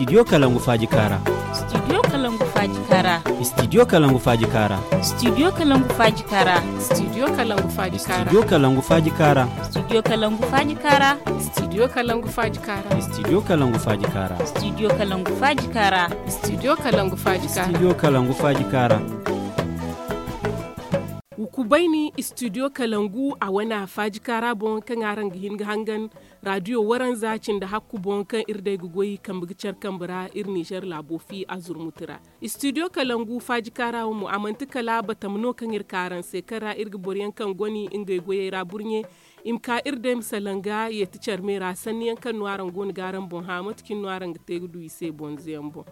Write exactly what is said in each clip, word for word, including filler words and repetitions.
Studio kalangu faaji kaara. Studio kalangu faaji kaara. Studio kalangu faaji kaara. Studio kalangu faaji kaara. Studio kalangu faaji kaara. Studio kalangu faaji kaara. Studio kalangu faaji kaara. Studio kalangu faaji kaara. Studio kalangu faaji kaara. Studio kalangu faaji kaara. Studio kalangu faaji kaara. Studio kalangu faaji kaara. Wa kubayni studio kalangu a wane faaji kaara boŋ kaŋ araŋ ga hin ga hangan raadiyo waranza cindi hakku boŋ kaŋ iri day ga goy kambe ga care kambe ra iri ninzeer laabo fi a zurmuti ra. Studio kalangu faaji kaara wo mo a manti kala batama no kaŋ iri ka araŋ se kaŋ ra iri ga boro yaŋ kaŋ goni ngey goyey ra burɲe i ma ka iri day ma salanga yeeti care me ra sanni yaŋ kaŋ no araŋ go no ga araŋ boŋ hã mate cine no araŋ ga te ga du i se bonzo yaŋ boŋ.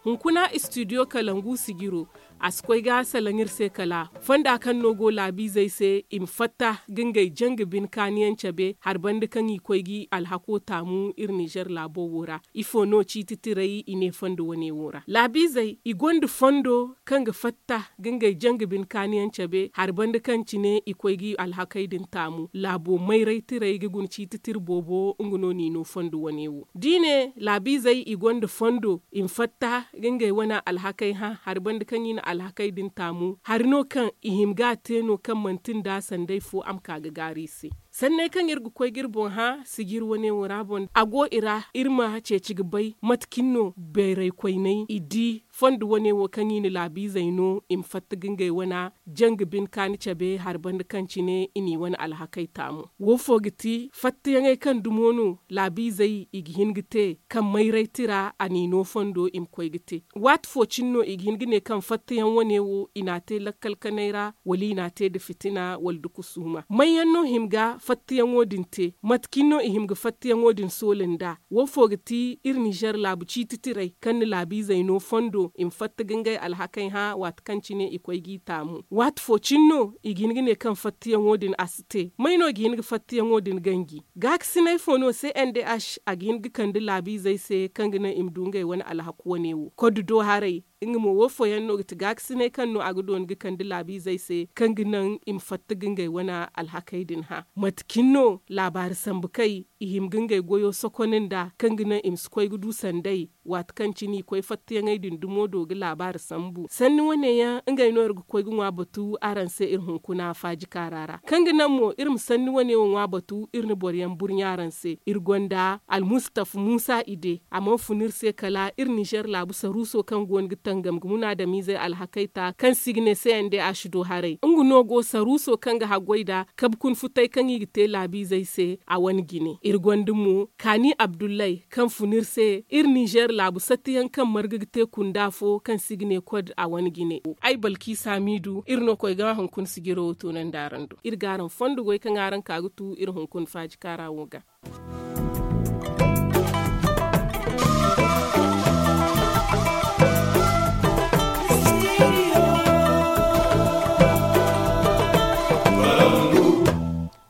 Hunkuna studio kalangu sijiro a si koy ga salaŋ iri se kala fonda kaŋ no go laabiizey se i ma fatta ga ngey jange bine kaani yaŋ cabe hari banda kaŋ i koy ga i alhako taamu iri ninzeer laabo wo ra. Ifo no ciiti tiray i ne fondo wane wo ra laabiizey i gonda fondo kaŋ ga fatta ga ngey jange bine kaani yaŋ cabe hari banda kaŋ cine i koy ga i alhakey din taamu laabo mayray tiray ga guna ciiti tira boobo nga no n'i no fondo wane wo da i ne laabiizey i gonda fondo i ma fatta ga ngey wane alhakey hã hari banda kaŋ i na alhakey din taamu hari no kaŋ i hima ga a te no kaŋ manti nda sanday fo a ma ka ga gaaru i se. Sanney kaŋ iri ga koy ga iri boŋ hã sijiri wane wo ra boŋ a go i ra iri ma ceeci ga bay mate cine no bayray koyney i di fondo wane wo kaŋ i na laabiizey no i ma fatta ga ngey wane janga bine kaani cabe hari banda kaŋ cine i n'i wane alhakey taamu. Wo fo ga ti fattayaŋey kaŋ dumo no laabiizey i ga hin ga te kaŋ mayray tira a n'i no fondo i ma koy ga te. Waati fo cine no i ga hin ga ne kaŋ fattayaŋ wane wo i n'a te lakkal kanay ra wala i n'a te nda fitina wala nda kusuuma may yaŋ no hima ga fattayaŋo din te mate cine no i hima ga fattayaŋo din soola nd'a? Wo fo ga ti iri ninzeer laabu ciiti tiray kaŋ na laabiizey no fondo i ma fatta ga ngey alhakey hã waati kaŋ cine i koy g'i taamu waati fo cine no i ga hin ga ne kaŋ fattayaŋo din a si te may no i ga hin ga fattayaŋo din ganji? Gaakasinay fo no cndh a ga hin ga kande laabiizey se kaŋ ga naŋ i ma du ngey wane alhaku wane wo koddo do haray nga mo wo fooyaŋ no ga ti gaakasinay kaŋ no a ga doona ga kande laabiizey se kaŋ ga naŋ i ma fatta ga ngey wane alhakey din hã? Mate cine no laabaari sambu kay i hima ga ngey goyo sokon nda kaŋ ga naŋ i ma si koy ga du sanday waati kaŋ cine i koy fattayaŋey din dumo do ga laabaari sambu sanni wane yaŋ ngey no iri ga koy ga ŋwa batu araŋ se iri hunkuna faaji kaara ra kaŋ ga naŋ mo iri ma sanni wane wo ŋwa batu iri na boro yaŋ burɲa araŋ se iri gonda almustaf muusa ide a mana fun iri se kala iri ninzeer laabu saruuso kaŋ go no ga tangam ga munaadamiizey alhakey ta kaŋ se i ga ne cndh do haray nga no go saruuso kaŋ ga haggoy nda kabe kuna futay kaŋ i ga te laabiizey se a wane jine iri gonda mo kaani abdullay kaŋ fun iri se iri ninzeer laabu sattiyaŋ kaŋ marga ga te kunda fo kaŋ se i ga ne kod a wane jine. Ay balki saamiidu iri no koy ga hunkuna sijiro wo toonandi araŋ do iri ga araŋ fondo goy kaŋ araŋ ka ga tu iri hunkuna faaji kaara wo ga.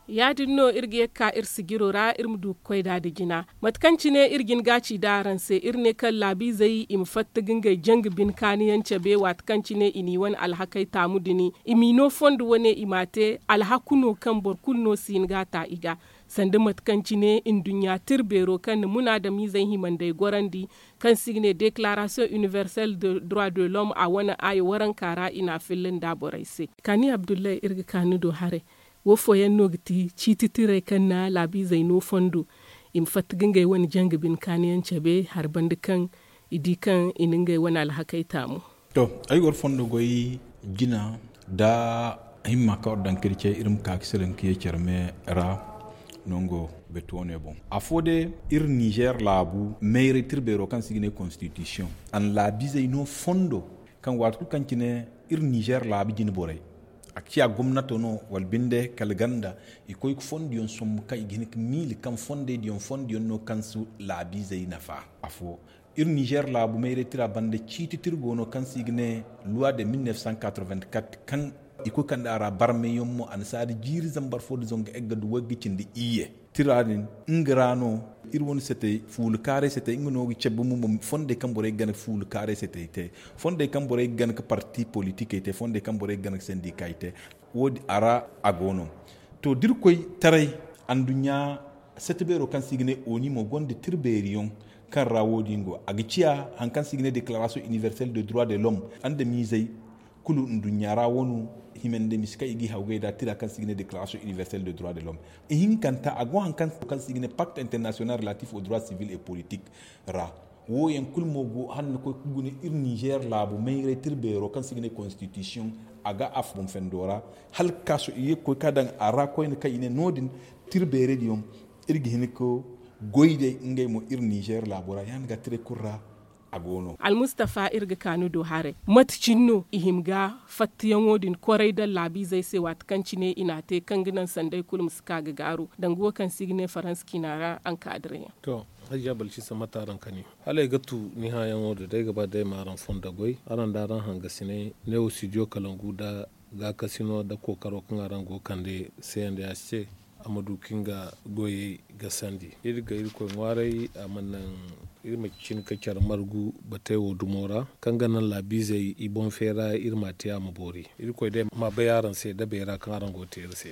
Ya-din no iri ga ye ga ka iri sijiro ra iri ma du ga koy nd'a nda jina mate kaŋ cine iri jin ga a ci nd'a araŋ se iri ne kaŋ laabiizey i ma fatta ga ngey janga bine kaani yaŋ cabe waati kaŋ cine i n'i wane alhakey taamu din i m'i no fondo wane i m'a te alhaku no kaŋ boro kulu no si hin ga a ta i ga sanda mate kaŋ cine nduɲɲa tira beero kaŋ na munaadamiizey himandey gorandi kaŋ se i ga ne déclaration universelle de droit de l'homme a wane aayo waranka ra i n'a filla nda borey se. Kaani abdullahi iri ga ka ni do haray wo fooyaŋ no ga ti ciiti tirey kaŋ na laabiizey no fondo i ma fatta ga ngey wane janga bine kaani yaŋ cabe hari banda kaŋ i di kaŋ i na ngey wane alhakey taamu. To ay ga war fondo goy jina nda himma kaŋ war daŋ ka iri ce iri ma ka ga salaŋ ka ye care me ra. Nango beti wane boŋ afo day iri nizer laabu mayray tira beero kaŋ se i ga ne constitution a na laabiizey no fondo kaŋ waati kulu kaŋ cine iri nizer laabu jine borey a ga ciya gomnato no wala binde kala ganda i koy ga fondiyaŋ sombu kaŋ i ga hin ga miila kaŋ fondey diyaŋ fondiyaŋ no kaŋ si laabiizey nafa. Afo iri nizer laabu mayray tira banda ciiti tira go no kaŋ se i ga ne loi de mille neuf cent quatre-vingt-quatre kaŋ i koy kande a ra barmayyaŋ mo a na saadi jiiri zambar fo nda zangu egga nda wayga cindi iyye. Tira din nga ra no iri wane setey fuula kaaray setey nga no ga cabe mo fondey kaŋ borey ga gana ga fuula kaaray setey te fondey kaŋ borey ga gana ga parti politikey te fondey kaŋ borey ga gana ga sendikay te. Wo- din a ra a go no. To da iri koy taray anduɲɲa Sete beero kaŋ se i ga ne oni mo gonda tira beeri yaŋ kaŋ ra wo- din go a ga ciya hari kaŋ se i ga ne déclaration universelle de droit de l'homme. Andamiizey kulu nduɲɲa ra wano himandi mise kaŋ i ga i hawgay nd'a tira kaŋ se i ga ne déclaration universelle de droit de l'homme. Ihinkanta a go hari kaŋ se i ga ne pacte international relatif au droit civil et politique ra. Wo yaŋ kulu mo go hala ni koy ga guna iri ninzeer laabu mayray tira beero kaŋ se i ga ne constitution a ga afo boŋ fendo ra hala ga ka sohõ i ye ga koy ga daŋ a ra koyne kaŋ i ne no- din tira beerey din yaŋ iri ga hin ga goy day ngey mo iri ninzeer laabo ra ya- din ga tiray kulu ra. A go no. Almustafa iri ga ka ni do haray mate cine no i hima ga fattayaŋo din koray daŋ laabiizey se waati kaŋ cine i n'a te kaŋ ga naŋ sanday kulu ma si ka ga gaaru danga wo kaŋ se i ga ne faransa ciina ra ankadirayaŋ. To, hajiya balcisa mate araŋ kani hala ay ga tu ni hãyaŋo da day ga ba day ma araŋ fondo goy araŋ da araŋ hangasinay ne wo studio kalangu nda gaakasino nda kookaro kaŋ araŋ go ga kande se nda ya se a ma du kaŋ ga goyey gasandi iri ga irkoy ŋwaaray a ma naŋ iri ma cin ga care margu batey wo dumo ra kaŋ ga naŋ laabiizey i boŋ feera iri m'a te a ma boori irkoy day ma bay araŋ se dabey ra kaŋ araŋ go ga te iri se.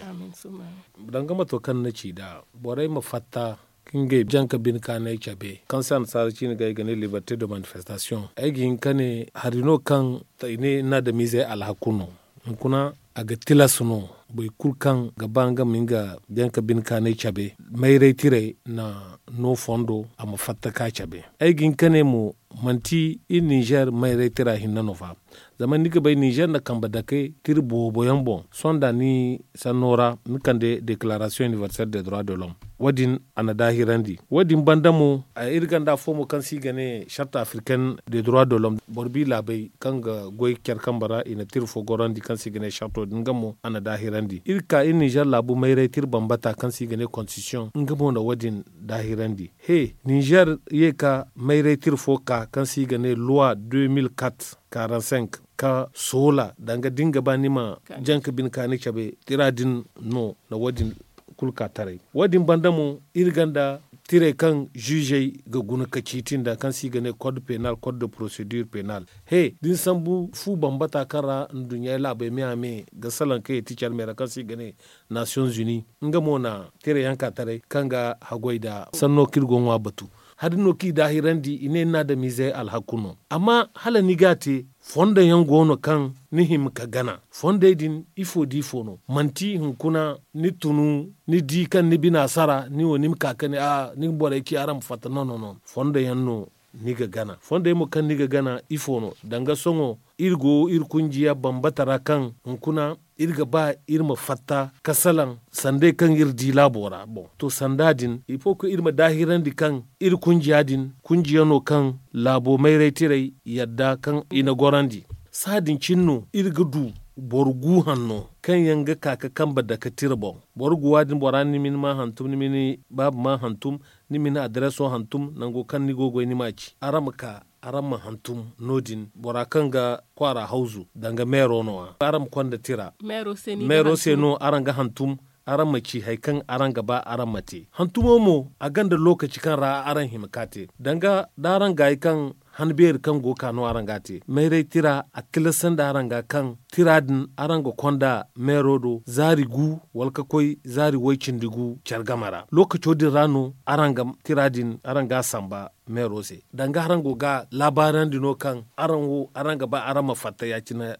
Danga mato kaŋ ni na ci nd'a borey ma fatta ga ngey janka bine kaanay cabe kaŋ se annasaara ciine ga ay ga ne liberté de manifestation ay ga hin ka ne hari no kaŋ i ne ni adamiizey alhaku no. Hunkuna a ga tilas no boro kulu kaŋ ga ba nga ma nga janka bine kaanay cabe mayray tiray na no fondo a ma fatta ka cabe. Ay ga hin ka ne mo manti iri ninzeer mayray tira hinne no fa. Zama ni ga bay ninzeer na kambe dake tira boobo yaŋ boŋ sohõ da ni sanno ra ni kande déclaration universelle de droit de l'homme wo- din a na daahirandi wo- din banda mo iri gonda afo mo kaŋ se i ga ne charte africaine de droit de l'homme boro bi laabey kaŋ ga goy care kambe ra i na tira fo gorandi kaŋ se i ga ne charto din nga mo a na daahirandi iri ga ka iri ninzeer laabu mayray tira bambata kaŋ se i ga ne constitution nga mo na wo- din daahirandi. He ninzeer ye ka mayray tira fo ka kaŋ se i ga ne loi deux mille quatre quarante cinq ka soola danga da ni ga ba ni ma janka bine ka ni cabe tira din no na wo- din kulu ka taray. Wo- din banda mo iri gonda tirey kaŋ ziizey ga guna ka ciiti nda kaŋ se i ga ne code penal code de procédure penal. He da ni sambu fu bambata kaŋ ra nduɲɲa laabey me a me ga salaŋ kaŋ i ti care me ra kaŋ se i ga ne nations unis nga mo na tirayaŋ ka taray kaŋ ga haggoy nda sanno kaŋ iri go ga ŋwa batu hari no kaŋ i daahirandi i ne ni na adamiizey alhaku no. Amma hala ni ga a te fondo yaŋ go no kaŋ ni hima ka gana fondey din ifo da ifo no manti hunkuna ni tunu ni di kaŋ ni bina sara ni wo ni ma ka ka ne a'a ni ga borey ci araŋ ma fatta no no no fondo yaŋ no ni ga gana fondey mo kaŋ ni ga gana ifo no danga sohõ iri go iri kunjiya bambata ra kaŋ hunkuna iri ga ba iri ma fatta ka salaŋ sanday kaŋ iri di laabo ra boŋ to sanda din ifo kaŋ iri ma daahirandi kaŋ iri kunjiya din kunjiya no kaŋ laabo mayray tiray yadda kaŋ i na gorandi. Sahã din cine no iri ga du boro gu hanno kaŋ yaŋ ga ka ga kambe dake tira boŋ. Boro guwa din bora ni ma ni ma hantum ni ma ni baaba ma hantum ni ma ni adreso hantum nango kaŋ ni go ga goy ni ma ci araŋ ma ka araŋ ma hantum no- din bora kaŋ ga kwaara hawzu danga meero no- ya araŋ ma konda tira meero se no araŋ ga hantum araŋ ma ci hari kaŋ araŋ ga ba araŋ ma te hantumo mo a gonda lookaci kaŋ ra araŋ hima ka te danga da araŋ gaayi kaŋ han beeri kaŋ go ga ka no araŋ ga a te mayray tira a tilasandi araŋ ga kaŋ tira din araŋ ga konda meero do zaari gu wala ga koy zaari way-cindi gu care game ra lookaco din ra no araŋ ga tira din araŋ ga a samba meero se danga araŋ go ga a laabaarandi no kaŋ araŋ wo araŋ ga ba araŋ ma fatta ya- cine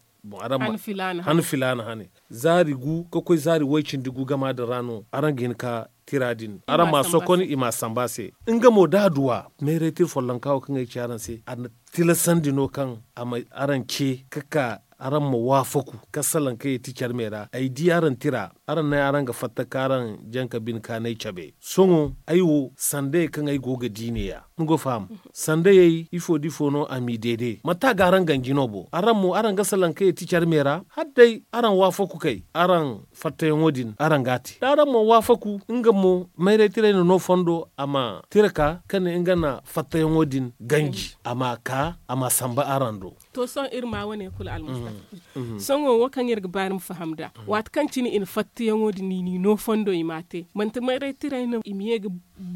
han filaana hane zaari gu ga koy zaari way-cindi gu gama din ra no araŋ ga hin ka tira din araŋ ma a sokon i ma a samba se. Nga mo da a du a mayray tira follonka wo kaŋ ay ci araŋ se a na tilasandi no kaŋ a ma araŋ ce ga ka araŋ ma waafaku ka salaŋ kaŋ i ti care me ra ay di araŋ tira araŋ ne araŋ ga fatta ka araŋ janka bine kaanay cabe. Sohõ ay wo sandayey kaŋ ay go ga di neeya ni go faham sandayey ifo da ifo no a m'i deede manti a ga araŋ ganji no bo araŋ mo araŋ ga salaŋ kaŋ i ti care me ra hala day araŋ waafaku kay araŋ fattayaŋo din araŋ ga a te da araŋ mo waafaku nga mo mayray tiray na no fondo a ma tira ka kaŋ ne nga na fattayaŋo din ganji a ma ka a ma samba araŋ do. To sohõ iri ma wane kulu almustafa sohõ wo kaŋ iri ga ba iri ma faham nd'a waati kaŋ cine i na fattayaŋo din i n'i no fondo i m'a te manti mayray tiray no i ma ye ga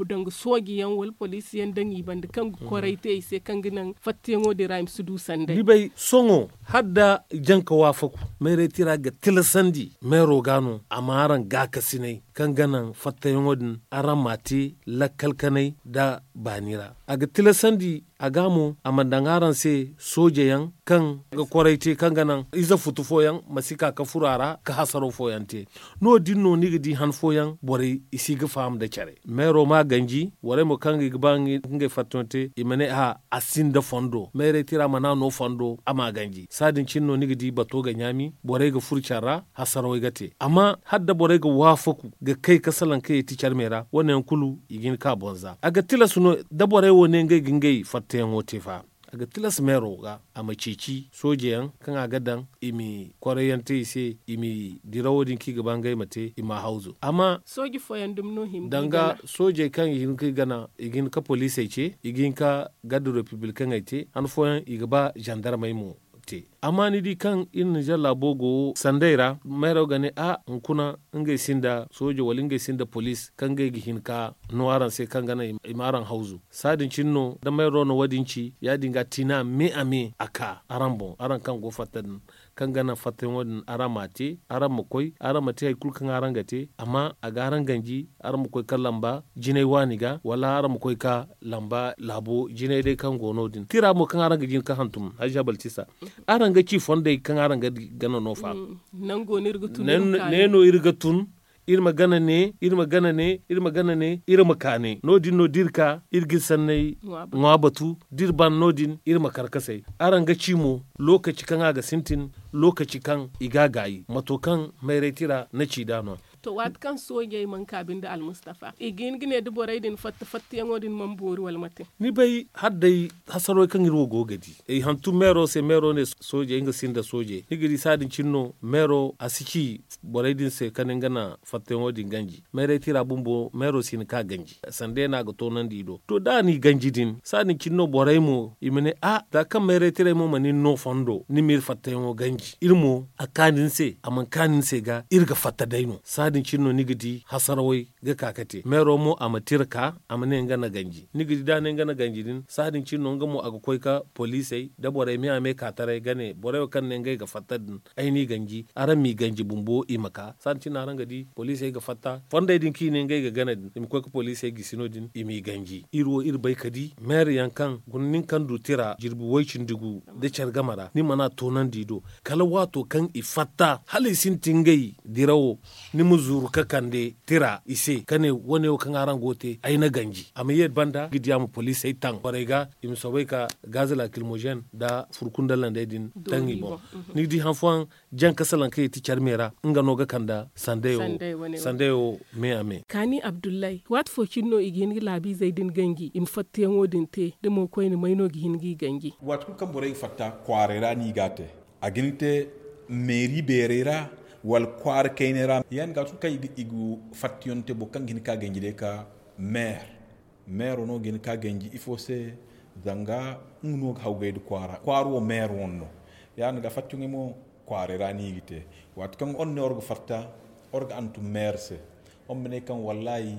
danga sooji yaŋ wala poliisi yaŋ daŋ i banda kaŋ ga koray te i se kaŋ ga naŋ fattayaŋo din ra i ma si du sanday. Ni bay sohõ hala da janka waafaku mayray tira ga tilasandi meero ga no a ma araŋ gaakasinay. kaŋ ga naŋ fattayaŋo din araŋ m'a te lakkal kanay nda baani ra. A ga tilasandi a ga mo a ma daŋ araŋ se sooje yaŋ kaŋ ga kwaray te kaŋ ga naŋ ize futu fooyaŋ ma si ka ga furo a ra ga hasaro fooyaŋ te. No- din no ni ga di han fooyaŋ borey i si ga faham nda care meero ma ganji borey mo kaŋ i ga ba ngey fattiyaŋo te i ma ne a a sinda fondo meerey tira mana no fondo a ma ganji saadin cine no ni ga di bato ga ɲaami borey ga furo care ra hasarawey ga te amma hala da borey ga waafaku ga kay ga salaŋ kaŋ i ti care me ra wane yaŋ kulu i ga hin ka boŋ za a ga tilas no da borey wo ne ngey ga ngey fattayaŋo te fa a ga tilas meero ga a ma ceeci sooje yaŋ kaŋ a ga daŋ i ma kwaray yaŋ te i se i ma dirawo din kaŋ i ga ba ngey ma te i ma a hawzu amma danga soojey kaŋ i ga hin ka poliisey ce i ga hin ka garde republikaŋey te han fooyaŋ i ga ba zandarmey mo te amma ni di kaŋ iri ninzeer laabo go wo sanday ra meero ga ne a hunkuna ngey sinda sooje wala ngey sinda poliis kaŋ ngey ga hin ka no araŋ se kaŋ ga naŋ i ma araŋ hawzu saadin cine no da meero na wo- din ci ya- din ga tiina me a me a ka araŋ boŋ araŋ kaŋ go fatta din kaŋ ga naŋ fattayaŋo din araŋ m'a te araŋ ma koy araŋ ma te hari kulu kaŋ araŋ ga te amma a ga araŋ ganji araŋ ma koy ka lamba jinay waani ga wala araŋ ma koy ka lamba laabo jinay day kaŋ go no- din tira mo kaŋ araŋ ga jin ka hantum haziya balcisa araŋ ga ci fondey kaŋ araŋ ga gana no fa ne no iri ga tun iri ma gana ne iri ma gana ne iri ma gana ne iri ma ka ne no- din no da iri ka iri ga iri sanney ŋwa batu da iri ban no- din iri ma karkasay araŋ ga ci mo lookaci kaŋ a ga sintin lookaci kaŋ i ga a gaayi mato kaŋ mayray tira na ci nd'a no- ya to waati kaŋ soojey mana ka binde almustafa i ga hin ga ne da borey din fatta fattayaŋo din mana boori wala mate ni bay hala day hasarey kaŋ iri wo go ga di ay hantum meero se meero ne soojey nga sinda soojey ni ga di saadin cine no meero a si ci borey din se kala nga na fattayaŋo din ganji meerey tira bumbo meero si hin ka ganji sanda yaŋ no a ga toonandi i do to da a n'i ganji din saadin cine no borey mo i ma ne a za kaŋ meerey tirey mo mana ni no fondo ni m'iri fattayaŋo ganji iri mo a kaani ni se a mana kaani ni se ga iri ga fatta day no saadin cine no ni ga di hasarawey ga ka ga te meero mo a ma tira ka a ma ne nga na ganji ni ga di da a ne nga na ganji din saadin cine no nga mo a ga koy ka poliisey da borey me a me ka taray ga ne borey wo kaŋ ne ngey ga fatta din ay n'i ganji araŋ m'i ganji bumbo i ma ka saadin cine no araŋ ga di poliisey ga fatta fondey din kaŋ i ne ngey ga gana din i ma koy ka poliisey gisi no- din i m'i ganji iri wo iri bay ka di meere yaŋ kaŋ guna nin kaŋ du tira jirbi way cindi gu nda care game ra ni mana toonandi i do kala waato kaŋ i fatta hala i sintin ngey dirawo ni ma zuru ka kande tira i se ka ne wane wo kaŋ araŋ go ga te ay na ganji a ma ye banda ga di a ma poliisey taŋ borey ga i ma soobay ka gaz lacrymogène nda furkunda landey din taŋ i boŋ ni ga di han fooyaŋ jaŋ ka salaŋ kaŋ i ti care me ra nga no ga kande sandayo me a me kaani abdullahi waati fo cine no i ga hin ga laabiizey din ganji i ma fattayaŋo din te da mo koyne may no ga hin g'i ganji waati kulu kaŋ borey ga fatta kwaaray ra no i g'a te a ga hin ga te meeri beerey ra wala kwaara kaynay ra ya- din ga a tun kaŋ i ga fattayaŋ te boro kaŋ ga hin ga ka ganji day ka meer meero no ga hin ga ka ganji ifo se zanga nga no ga hawgay nda kwaara kwaara wo meer wane no ya- din ga fattayaŋey mo kwaaray ra no i ga te waati kaŋ war ne war ga fatta war ga hantum meer se war ma ne kaŋ wallaahi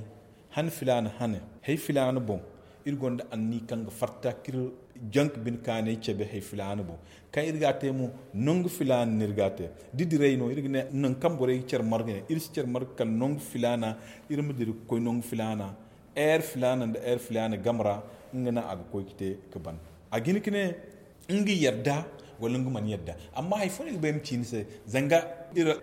han filaana hane hay filaana boŋ iri gonda anni kaŋ ga fatta k'iri janka bine kaanay cabe hay filaana boŋ kaŋ iri ga a te mo nangu filaana no iri ga a te da diray no iri ga ne nangu kaŋ borey ga care marga ne iri si care marga kala nangu filaana iri ma dira ga koy nangu filaana heer filaana nda heer filaana game ra nga naŋ a ga koy ga te ga ban a ga hin ga ne nga yarda wala nga mana yarda amma hari fo no ay ga ba ay ma ci ni se zanga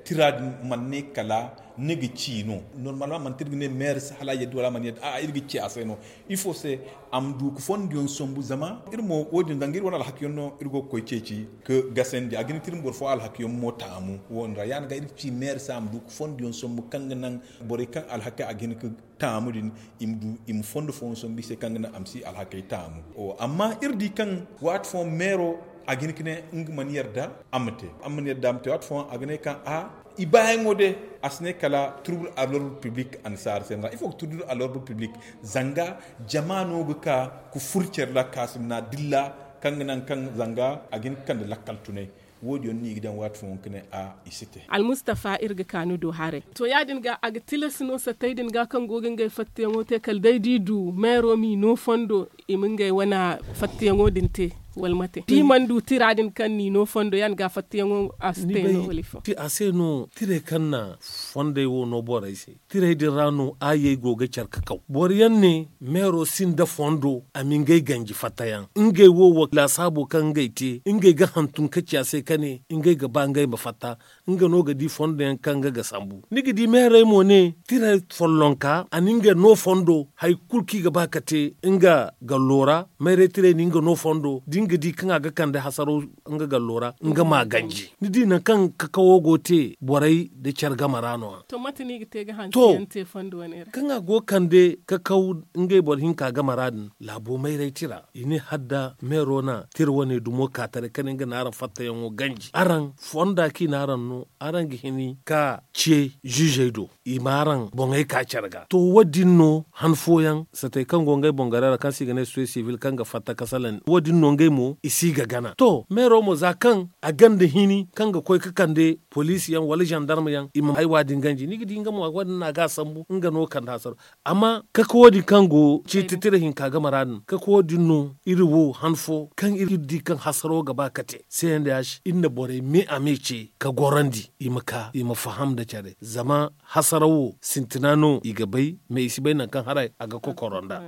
tira din mana ne kala ni ga ci no normalement manti iri ga ne meeri se hala a yadda wala a mana yadda a'a iri ga ci a se no ifo se a ma du ga fondo yaŋ sambu zama iri mo wo- din zanga iri wane alhaka yaŋ no iri go ga koy ceeci ga gasandi a ga hin ga te iri ma boro fo alhaka yaŋ mo taamu wo- din ra ya- din ga iri ga ci meeri se a ma du ga fondo yaŋ sambu kaŋ ga naŋ borey kaŋ alhakey a ga hin ga taamu din i ma du i ma fondo fooyaŋ sambu i se kaŋ ga naŋ a ma si alhakey taamu amma iri di kaŋ waati fooyaŋ meero a ga hin ga ne nga mana yarda a ma te a mana yarda a ma te waati fooyaŋ a ga ne kaŋ a i baayaŋo day a si ne kala turubul alorbu piblik annasaara se no ra ifo ga turubul alorbu piblik zanga jama no ga ka ga furu care ra kaasim na dilla kaŋ ga naŋ kaŋ zanga a ga hin ga kande lakkal tunay wo- din yaŋ no i ga daŋ waati fooyaŋ ga ne a i si te almustafa iri ga ka ni do haray to ya- din ga a ga tilas no sattey din ga kaŋ go ga ngey fattayaŋo te kala day da i du meero m'i no fondo i ma ngey wane fattayaŋo din te Wala mate da i mana du tira din kaŋ n'i no fondo yaŋ ga fattayaŋo a si te no wala ifo? A se no tirey kaŋ na fondey wo no borey se. Tirey din ra no aayey go ga care ka kaw boro yaŋ ne meero sinda fondo a ma ngey ganji fattayaŋ ngey wo wa laasaabo kaŋ ngey te ngey ga hantum ka ci a se ka ne ngey ga ba ngey ma fatta. Nga no ga di fondo yaŋ kaŋ nga ga sambu ni ga di meerey mo ne tira follonka a na nga no fondo hari kulu kaŋ i ga ba ka te nga gallo ra. Mayray tirey na nga no fondo da ni ga di kaŋ a ga kande hasaro nga gallo ra nga ma ganji ni di nangu kaŋ kakawo go te borey nda care game ra no- ya. To mate no i ga te ga hanse yaŋ te fondo wane ra kaŋ a go ga kande kakaw ngey boro hinka game ra din laabo mayray tira i ne hala da meero na tira wane dumo ka taray kala nga na araŋ fattayaŋo ganji araŋ fonda kaŋ i na araŋ no araŋ ga hini ka ce ziizey do i ma araŋ boŋey ka care ga to wo- din no han fooyaŋ satey kaŋ go ngey boŋ garay ra kaŋ se i ga ne suwey sibil kaŋ ga fatta kasalandi wo- din no ngey mo i si ga gana to meero mo za kaŋ a gonda hini kaŋ ga koy ga kande poliisi yaŋ wala zandarma yaŋ i ma haywa din ganji ni ga di nga mo wo- din no a ga a sambu nga no kande hasaro. Amma kakawo din kaŋ go ciiti tira hinka game ra din kakawo din no iri wo han fo kaŋ iri di kaŋ hasaro ga ba kate se yaŋ da ya se iri na borey me a me ce ka gorandi i ma ka i ma faham nda care zama hasara wo sintina no i ga bay me i si bay nangu kaŋ haray a ga kokoro nda.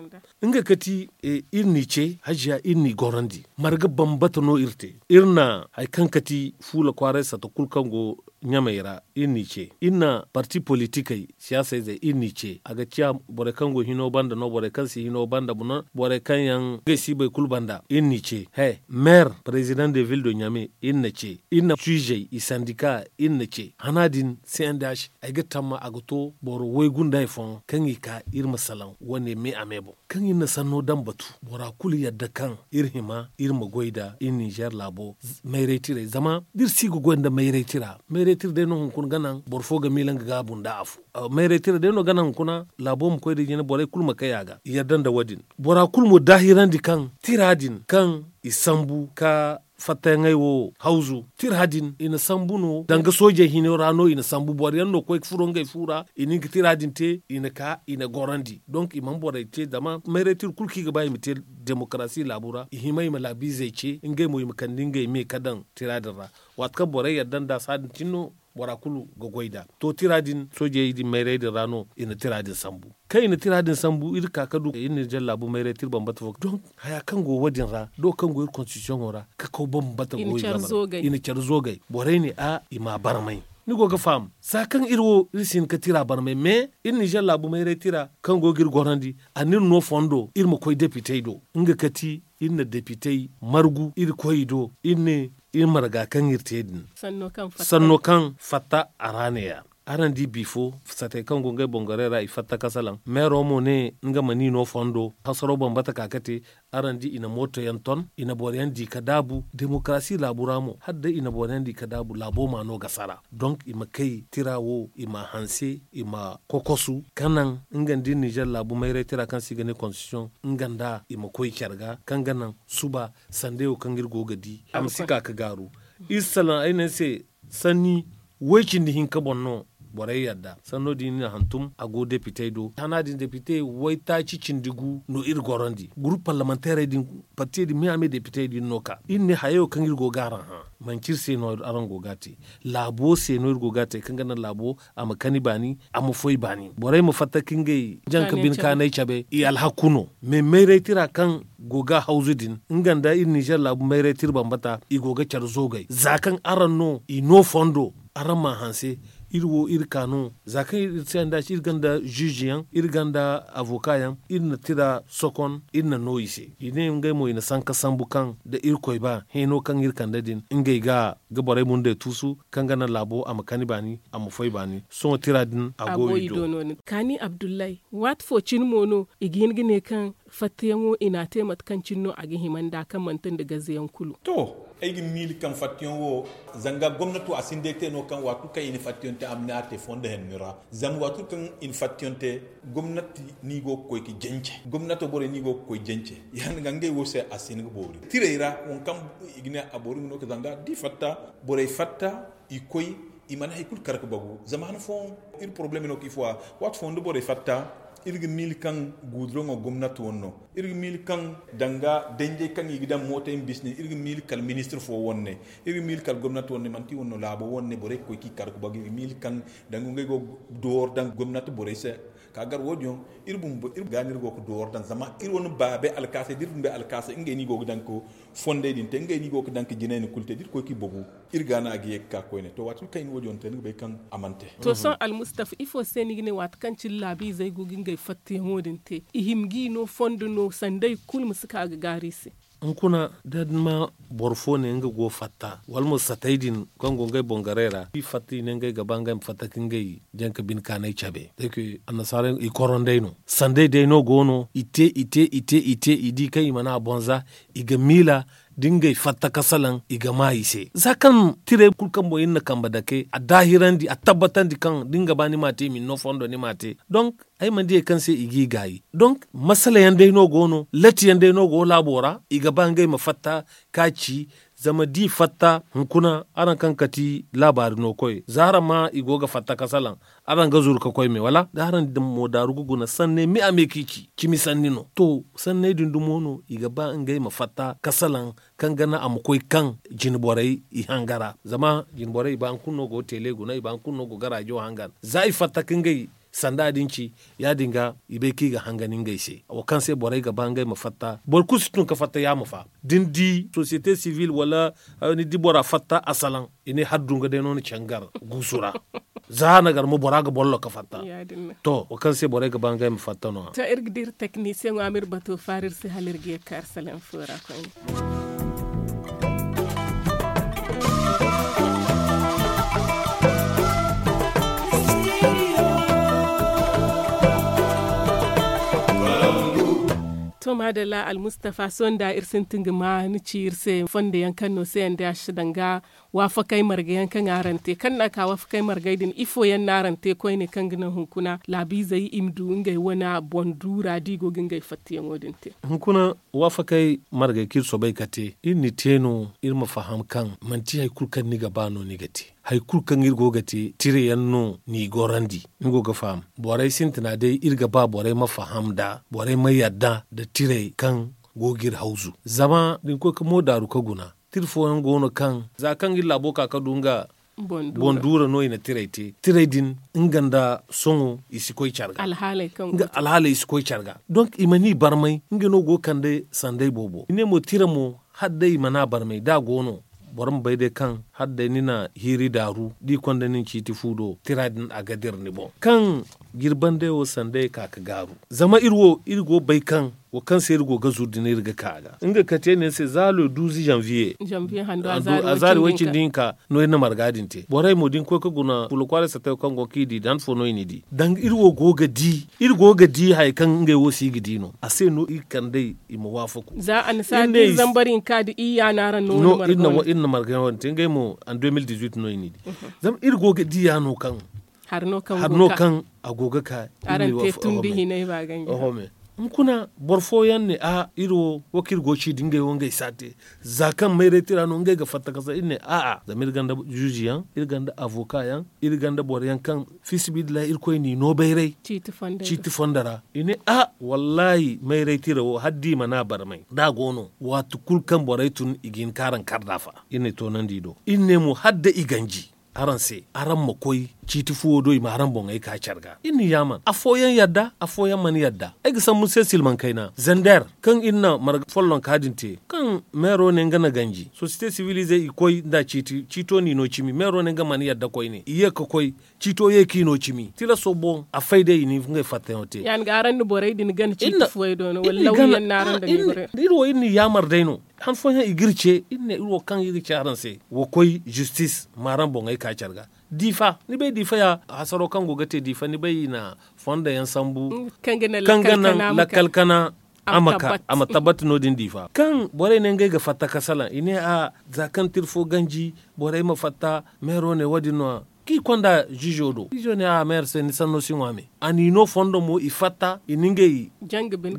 Nga kati iri n'i ce hajiya iri n'i gorandi marga bambata no iri te iri na hari kaŋ kati fuula kwaaray sata kulu kaŋ go ɲamey ra iri n'i ce iri na parti politikey siyaasa izey iri n'i ce a ga ciya borey kaŋ go hino banda no borey kaŋ si hino banda no borey kaŋ yaŋ ngey si bay kulu banda iri n'i ce he meer parezidaŋ de ville de ɲame iri na ce iri na siizey i sandika iri na ce hana din se yaŋ da ya se ay ga tamma a ga to boro waygu nda hari fooyaŋ kaŋ i ka iri ma salaŋ wane me a me boŋ kaŋ iri na sanno daŋ batu bora kulu yadda kaŋ iri hima iri ma goy nda iri ninzeer laabo mayray tirey zama da iri si ga goy nda mayray tira mayray tira day no hunkuna ga naŋ boro fo ga miila nga gaabu nda afo mayray tira day no ga naŋ hunkuna laabo ma koy nda jine borey kulu ma kay a ga i yadda nda wo- din bora kulu ma daahirandi kaŋ tira din kaŋ i sambu ka fattayaŋey wo hawzu tira din i na sambu no danga soojey hino ra no i na sambu boro yaŋ no koy ga furo ngey fu ra i na nga tira din te i na ka i na gorandi donk i mana borey te zama mayray tira kulu kaŋ i ga ba i ma te demokarasi laabu ra i hima i ma laabiizey ce ngey mo i ma kande ngey me ka daŋ tira din ra waati kaŋ borey yadda nda saadin cine no bora kulu ga goy nd'a to tira din soojey din mayray din ra no i na tira din sambu kaŋ i na tira din sambu iri ka ka du iri na iri jaŋ laabu mayray tira bambata fo donk haya kaŋ go wo- din ra do kaŋ go iri konstitiyoŋo ra kakaw bambata go i ga bara i na care zoogay borey ne a i m'a barmay ni go ga faham za kaŋ iri wo iri si hin ka tira barmay mais iri na iri jaŋ laabu mayray tira kaŋ go ga iri gorandi a na iri no fondo iri ma koy depitey do nga kati iri na depitey margu iri koy i do iri ne iri marga kaŋ iri te din sanno kaŋ fatta a ra ne- ya araŋ di bifo satey kaŋ go ngey boŋ gorey ra i fatta kasalaŋ meero mo ne nga ma ni no fondo hasaro bambata ka ka te araŋ di i na mooto yaŋ ton i na boro yaŋ di ka daabu demokarasi laabu ra mo hala day i na boro yaŋ di ka daabu laabo ma no ga sara donk i ma kay tira wo i m'a hanse i ma kokosu ka naŋ nga nda iri ninzeer laabu mayray tira kaŋ se i ga ne konstitiyoŋ nga nda i ma koy care ga kaŋ ga naŋ suba sanday wo kaŋ iri go ga di a ma si ka ga gaaru iri salaŋ ay ne ay se sanni way cindi hinka boŋ no borey yadda sanno din i na hantum a go depitey do hana din depitey waytaaci cindi gu no iri gorandi gurupu parlamanteerey din partiyey din me a me depitey din no ka iri ne hayey wo kaŋ iri go ga araŋ hã manci iri se no araŋ go ga a te laabo se no iri go ga a te kaŋ ga naŋ laabo a ma kani baani a ma foy baani borey ma fatta ka ngey janka bine kaanay cabe i alhaku no mais mayray tira kaŋ go ga hawzu din nga nda iri ninzeer laabu mayray tira bambata i go ga care zoogay za kaŋ araŋ no i no fondo araŋ m'a hanse iri wo iri ka no za kaŋ iri se nda iri gonda ziizi yaŋ iri gonda avoka yaŋ iri na tira sokon iri na no i se i ne ngey mo i na sanka sambu kaŋ da irkoy ba hẽeno kaŋ iri kande din ngey ga ga borey mundey tuusu kaŋ ga naŋ laabo a ma kani baani a ma foy baani sohõ tira din a go i do. Kaani abdullahi waati fo cine mo no i ga hin ga ne kaŋ fattayaŋo i n'a te mate kaŋ cine no a ga hima nd'a kaŋ manti nda gazeyaŋ kulu. To, ay ga miila kaŋ fattayaŋ wo zanga gomnato a si ni day te no kaŋ waati kulu kaŋ i na fattayaŋ te a ma ne a te fondo henno ra. Zama waati kulu kaŋ i na fattayaŋ te gomnati no i go ga koy ga jance gomnato borey no i go ga koy jance ya- din ga ngey wo se a si hin ga boori tirey ra waŋ kaŋ i ga ne a boori nga no ga zanga da i fatta borey fatta i koy i mana hari kulu kar ga bagu zama han fooyaŋ iri porobalem no kaŋ ifo a waati fooyaŋ da borey fatta Iri ga miila kaŋ guuduraŋo gomnati wane no. Iri ga miila kaŋ danga danjey kaŋ i ga daŋ mootey ma bisa ne iri ga miila kala ministir fo wane ne. Iri ga miila kala gomnati wane ne manti wane no laabo wane ne borey ga koy kaŋ i kar ga baga iri ga miila kaŋ danga ngey go ga dooro daŋ gomnati borey se. Ka gar wo- din yaŋ iri bumbo iri ga no iri go ga dooro daŋ zama iri wane baabey alkaasey da iri bumbey alkaasey ngey no i go ga daŋ ga fondey din te ngey no i go ga daŋ ga jinay ni kulu te da iri koy ga i bagu. Iri ga no a ga ye ga ka koyne to waati kulu kaŋ i na wo- din yaŋ te ni ga bay kaŋ a mana te. To sohõ almustafa ifo se ni ga ne waati kaŋ cine laabiizey go ga ngey fattayaŋo din te i hima ga i no fondo no sanday kulu ma si ka ga gaaru i se. Hunkuna da ni ma boro fo ne nga go fatta wala mo satay din kaŋ go ngey bongaray ra i fatta i ne ngey ga ba ngey ma fatta ka ngey janka bine kaanay cabe. Annasaara i korondey no sanday day no go no i te i te i te i te i di kaŋ i mana a bonza. I ga miila da ngey fatta kasalaŋ i ga ma i se za kaŋ tirey kulu kaŋ boŋ iri na kambe dake a daahirandi a tabbatandi kaŋ da ni ga ba ni m'a te i ma ni no fondo ni m'a te. Donk ay mana di hari kaŋ se i g'i gaayi donk masala yaŋ day no go no latti yaŋ day no go laabo ra i ga ba ngey ma fatta ka ci. Zama da i fatta hunkuna araŋ kaŋ kati laabaari no koy za araŋ ma i go ga fatta kasalaŋ araŋ ga zuru ka koy me wala da araŋ mo daaru ga guna sanne me a me kaŋ i ci cimi sanni no to sanney din dumo no i ga ba ngey ma fatta kasalaŋ kaŋ ga naŋ a ma koy kaŋ jine borey i hanga ra zama jine borey i ba hunkuna no go ga teele guna i ba hunkuna no go ga raajo hangan za i fatta ka ngey sanda din ci ya- din ga i bay kaŋ i ga hangan ngey se wo kaŋ se borey ga ba ngey ma fatta boro kulu si tun ga fatta yaama fa da ni di sosiyete sibil wala ni di bora fatta a salaŋ i ne hala dunga day no ni cangar guusu ra. Za a na gar mo bora ga bollo ga fatta to wo kaŋ se borey ga ba ngey ma fatta no- ya. To iri ga dira teknisiyeŋo a ma iri bato faara iri se hala iri ga ye ga ka iri salaŋ fo ra koyne. To maadalla almustafa sohõ nda iri sintin ga ma ni ci iri se fondo yaŋ kaŋ no se yaŋ day a si danga waafakey marga yaŋ kaŋ araŋ te kaŋ no a ka waafakey margey din ifo yaŋ no araŋ te koyne kaŋ ga naŋ hunkuna laabiizey i ma du ngey wane boŋ duura da i go ga ngey fattayaŋo din te. Hunkuna waafakey margey kaŋ iri soobay ga te iri n'i te no iri ma faham kaŋ manti hari kulu kaŋ ni ga ba no ni ga te hari kulu kaŋ iri go ga te tira yaŋ no n'i gorandi. Ni go ga faham borey sintina day iri ga ba borey ma faham nda borey ma yadda nda tirey kaŋ go ga iri hawzu zama da ni koy ga mo daaru ga guna tira fooyaŋ go no kaŋ za kaŋ iri laabo ka ga du nga boŋ duura no i na tirey te tirey din nga nda sohõ i si koy care ga. Alhaaley i si koy care ga donk i mana i barmay nga no go ga kande sanday boobo i ne mo tira mo hala day i mana a barmay da a go no boro ma bay day kaŋ hala day ni na hiiri daaru da i konda nin ciiti fu do tira din a ga dira ni boŋ kaŋ jirbandey wo sanday ka ga gaaru. Zama iri wo iri go ga bay kaŋ wo kaŋ se iri go ga zuru din iri ga ka a ga nga kate ne se za le duuzi janvier a zaari way cindi hinka no iri na marga din te borey mo da ni koy ga guna fuula kwaaray satay kaŋ go ga kaŋ i di da han fo no i n'i di danga iri wo go ga di iri go ga di haya kaŋ ngey wo se i ga di no a se no iri kandey i ma waafaku. Za annasaara da iri zambar hinka da iyya no araŋ no iri na marga yaŋ wo din te ngey mo an deux mille dix huit no i n'i di zama iri go ga di ya no kaŋ hari no kaŋ a go ga ka araŋ te tundi hinay ba ganji. Hunkuna boro fooyaŋ ne a iri wo wo kaŋ iri go ga ci da ngey wo ngey si a te za kaŋ mayray tira no ngey ga fatta kasa iri ne a'a zama iri gonda juuzi yaŋ iri gonda avoka yaŋ iri gonda boro yaŋ kaŋ fiisabilillahi irkoy n'i no bayray ciiti fondo ra i ne a wallahi mayray tira wo hala da i mana a barmay da a go no waati kulu kaŋ borey tun i ga hin ka araŋ kar nd'a fa iri na i toonandi i do iri ne mo hala da i ganji araŋ se araŋ ma koy ciiti fuwo do i ma araŋ boŋey ka care ga iri n'i yaaman afooyaŋ yadda afooyaŋ mana yadda ay ga sambu ni se silmaŋ kayna zander kaŋ iri na marga follonka din te kaŋ meero ne nga na ganji sosiyete sibilizey i koy nda ciiti ciito n'i no cimi meero ne nga mana yadda koyne i ye ga koy ciito ye kaŋ i no cimi tilaso boŋ a fay day i na ngey fattayaŋo te ya ni ga araŋ na borey din gana ciiti fuwey do no wala lawyaŋ no araŋ da iri wo iri n'i yaamar day no han fooyaŋ i ga iri ce iri ne iri wo kaŋ iri ga ci araŋ se wa koy zistis ma araŋ boŋey ka care ga diifa ni bay diifa ya hasaro kaŋ go ga te diifa ni bay i na fondo yaŋ sambu kaŋ ga naŋ lakkal kana a ma tabbat no- din diifa kaŋ borey ne ngey ga fatta kasalaŋ i ne a za kaŋ tirfo ganji borey ma fatta meero ne wo- din no- ya kaŋ i konda ziizo do ziizo ne a meero se ni sanno si ŋwa me a n'i no fondo mo i fatta i na ngey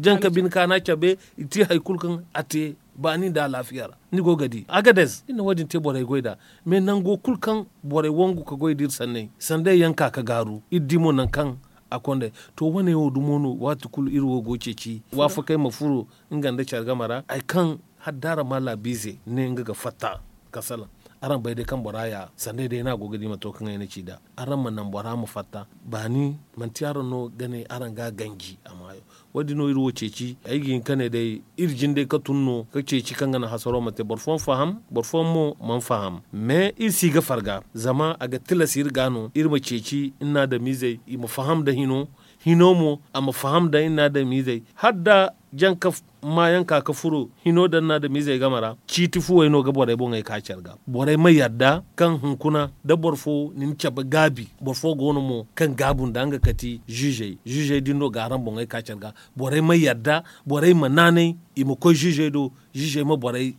janka bine kaana cabe i te hari kulu kaŋ a te baani nda alaafiya ra ni go ga di agadez iri na wo- din te borey goy nd'a mais nango kulu kaŋ borey wangu ga goy da iri sanney sanday yaŋ ka ga gaaru iri di mo nangu kaŋ a kondey. To wane wo dumo no waati kulu iri wo go ceeci waafakey ma furo nga nda care game ra hari kaŋ hala da araŋ ma laabiize ne nga ga fatta kasalaŋ. Araŋ bay day kaŋ bora ya sanday day no a go ga di ma to kaŋ ay na ci nd'a. Araŋ ma naŋ bora ma fatta baani manti araŋ no ga ne araŋ ga a ganji a maayo. Wo- din no iri wo ceeci ay ga hin ka ne day iri jin day ka tun no ka ceeci kaŋ ga naŋ hasaro ma te boro fooyaŋ faham boro fooyaŋ mo mana faham. Mais iri si ga farga zama a ga tilas iri ga no iri ma ceeci iri na adamiizey i ma faham nda hino hino mo a ma faham nda iri na adamiizey hala da janka maayaŋ ka ga furo hino nda iri na adamiizey game ra ciiti fuwey no ga borey boŋey ka care ga borey ma yadda kaŋ hunkuna da boro fo na ni cabe gaabi boro fo go no mo kaŋ gaabu nda nga kati ziizey ziizey din no ga araŋ boŋey ka care ga borey ma yadda borey ma naanay i ma koy ziizey do ziizey ma borey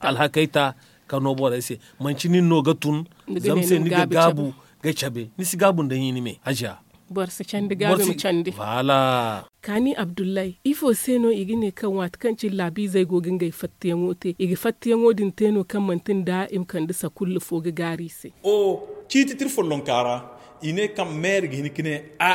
alhakayta ka no borey se manci nin no ga tun zama se ni ga gaabu ga cabe ni si gaabu nda hini me hajiya. Boro si candi gaabu i ma candi. Kaani abdullahi ifo se no i ga ne kaŋ waati kaŋ cine laabiizey go ga ngey fattiyaŋo te i ga fattiyaŋo din te no kaŋ manti nda i ma kande sakulla fo ga gaaru i se. O ciiti tira follonka ra i ne kaŋ meeri ga hin ka ne a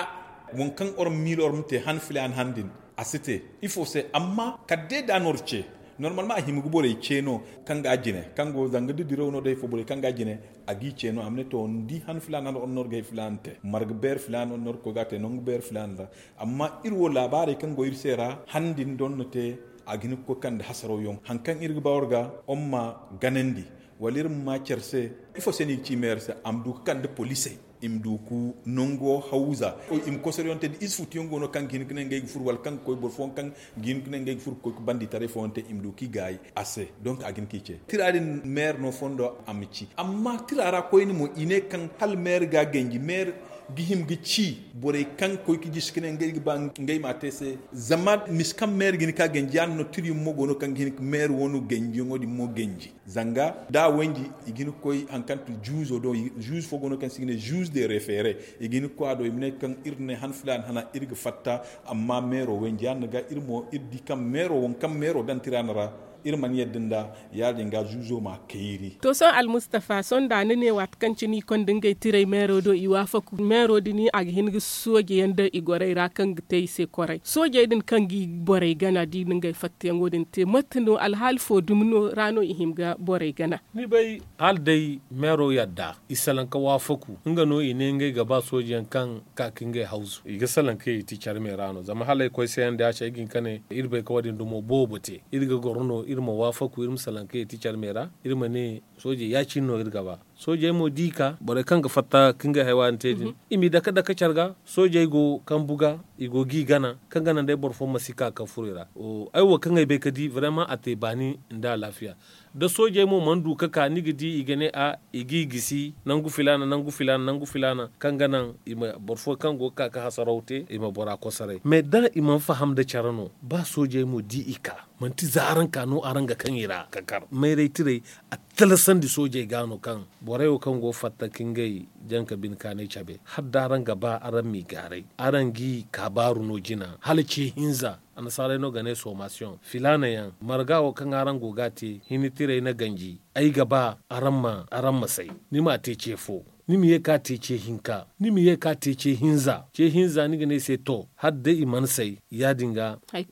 waŋ kaŋ or ma miila or ma te han filaana han din a si te ifo se amma kala day da a n'or ce normal ma a hima ga borey ce no kaŋ ga a jine kaŋ go zanga da diraw no day fo borey kaŋ ga a jine a g'i ce no a ma ne to ni di han filaana han or n'or ga hay filaana te marga beeri filaana or n'or ga koy ga a te nangu beeri filaana ra. Amma iri wo laabaarey kaŋ go iri se ra han din da or na te a ga hin ga koy kande hasaraw yaŋ hari kaŋ iri ga ba war ga or ma ganandi wala iri ma ma care se ifo se no i ga ci meeri se a ma du ga kande poliisey i ma du ga nango hawza i ma kosaryaŋ te da ize futuyaŋ go no kaŋ ga hin ga ne ngey ga furo wala kaŋ ga koy boro fooyaŋ kaŋ ga hin ga ne ngey ga furo ga koy ga banditaray fooyaŋ te i ma du ga i gaayi a se. Donk a ga hin ga i ce tira din meeri no fondo a ma ci amma tira ra koyne mo i ne kaŋ hala meeri ga a ganji meeri ga hima ga ci borey kaŋ ga koy ga jisi ga ne ngey ga ba ngey ma a te se. Zama misa kaŋ meeri ga hin ga a ganji ya- din no tira yaŋ mo go no kaŋ ga hin ga meeri wano ganjiyaŋo din mo ganji zanga da a wanji i ga hin ga koy hari kaŋ tun juuzo do juuzo fo go no kaŋ se i ga ne juuzo de refere i ga hin ga koy a do i ma ne kaŋ iri ne han filaana hana iri ga fatta amma meero wanji ya- din ga iri mo iri di kaŋ meero waŋ kaŋ meero daŋ tiraana ra iri mana yadda nda ya- din ga juuzo ma kayri. To sohõ almustafa sohõ da ni ne waati kaŋ cine i konda ngey tiray meero do i waafaku meero din a ga hin ga sooje yaŋ daŋ i gorey ra kaŋ ga te i se kwaray soojey din kaŋ ga i borey gana da i na ngey fattayaŋo din te mate no alhaali fo dumi no ra no i hima ga borey gana? Ni bay hala day meero yadda i salaŋ ka waafaku nga no i ne ngey ga ba sooje yaŋ kaŋ ka ka ngey hawzu i ga salaŋ ka i ti care me ra no zama hala ay koy se yaŋ da ya se ay ga hin ka ne iri bay ka wo- din dumo boobo te iri ga goro no iri ma waafaku iri ma salaŋ ka i ti care me ra iri ma ne soojey ya- cine no iri ga ba. Soojey mo da i ka borey kaŋ ga fatta ka ngey haywa din te din i m'i dake dake care ga soojey go kambu ga i go g'i gana kaŋ gana day boro fooyaŋ ma si ka ka furo i ra. Ay wo kaŋ ay bay ka di vraiment a te baani nda alaafiya da soojey mo mana du ka ka ni ga di i ga ne a i g'i gisi nangu filaana nangu filaana nangu filaana kaŋ ga naŋ i ma boro fo kaŋ go ga ka ka hasaraw te i ma bora kosoray mais da i mana faham nda care no ba soojey mo da i ka manti za araŋ ka no araŋ ga kaŋ i ra ka kar mayray tiray a talasandi soojey ga no kaŋ borey wo kaŋ go fatta ka ngey janka bine kaanay cabe hala da araŋ ga ba araŋ m'i gaaray araŋ g'i kaabaaru no jina hala ce hinza annasaarey no ga ne soomasiyoŋ filaana yaŋ marga wo kaŋ araŋ go ga a te hini tiray na ganji ay ga ba araŋ ma araŋ ma say ni m'a te ce fo ni ma ye ka te ce hinka ni ma ye ka te ce hinza ce hinza ni ga ne ay se to hala day i mana say ya- din ga hari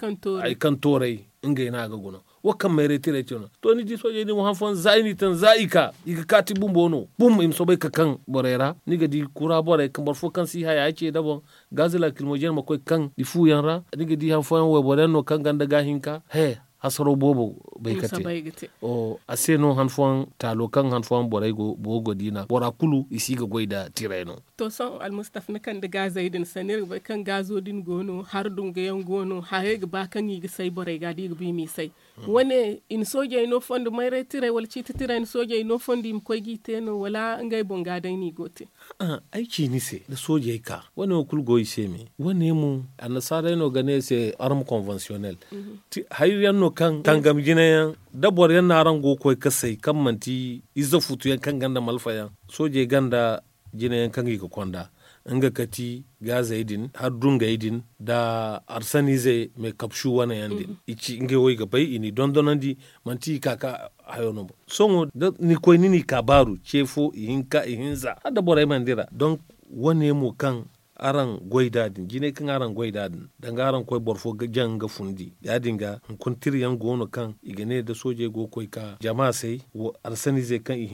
kaŋ tooray ngey no a ga guna wo kaŋ mayray tiray te no to ni di soojey din wo han fooyaŋ za i n'i taŋ za i ka i ga kaati bumbo no bum i ma soobay ka kaŋ borey ra ni ga di kura borey kaŋ boro fo kaŋ si haya ay ce da boŋ gaazila kilmojen ma koy kaŋ i fu yaŋ ra ni ga di han fooyaŋ wayboro yaŋ no kaŋ ganda ga hinka he hasaro boobo bay ka te a se no han fooyaŋ taalo kaŋ han fooyaŋ borey go boobo go diina bora kulu i si ga goy nda tiray no. To sohõ almustaf ni kande gaazey din sanni iri ga bay kaŋ gaazo din go no har dunga yaŋ go no harey ga ba kaŋ i ga say borey ga da i ga ba i m'i say wane i na soojey no fondo mayray tiray wala ciiti tiray na soojey no fondo i ma koy g'i te no wala ngey boŋ ga day no i go te? Ay ci ni se da soojey ka wane wo kulu go i se me wane mo annasaarey no ga ne se arme konvensiyonel. Hari yaŋ no kaŋ tangam jina yaŋ da boro yaŋ no araŋ go ga koy ga say kaŋ manti ize futu yaŋ kaŋ ganda malfa yaŋ soojey ganda jina yaŋ kaŋ i ga konda nga kati gaazey din har dungey din nda arsaniizey me kabsu wane yaŋ din i ci ngey wo i ga bay i n'i dondonandi manti i ka ka hayo no boŋ sohõ da ni koy ni n'i ka baaru ce fo i hinka i hinza hala da borey mana dira donk wane mo kaŋ araŋ goy nd'a din jinay kaŋ araŋ goy nd'a din danga araŋ koy boro fo ga jaŋ nga fundi ya- din ga hunkuna tira yaŋ go no kaŋ i ga ne da soojey go ga koy ka jama se. Arsaniizey kaŋ i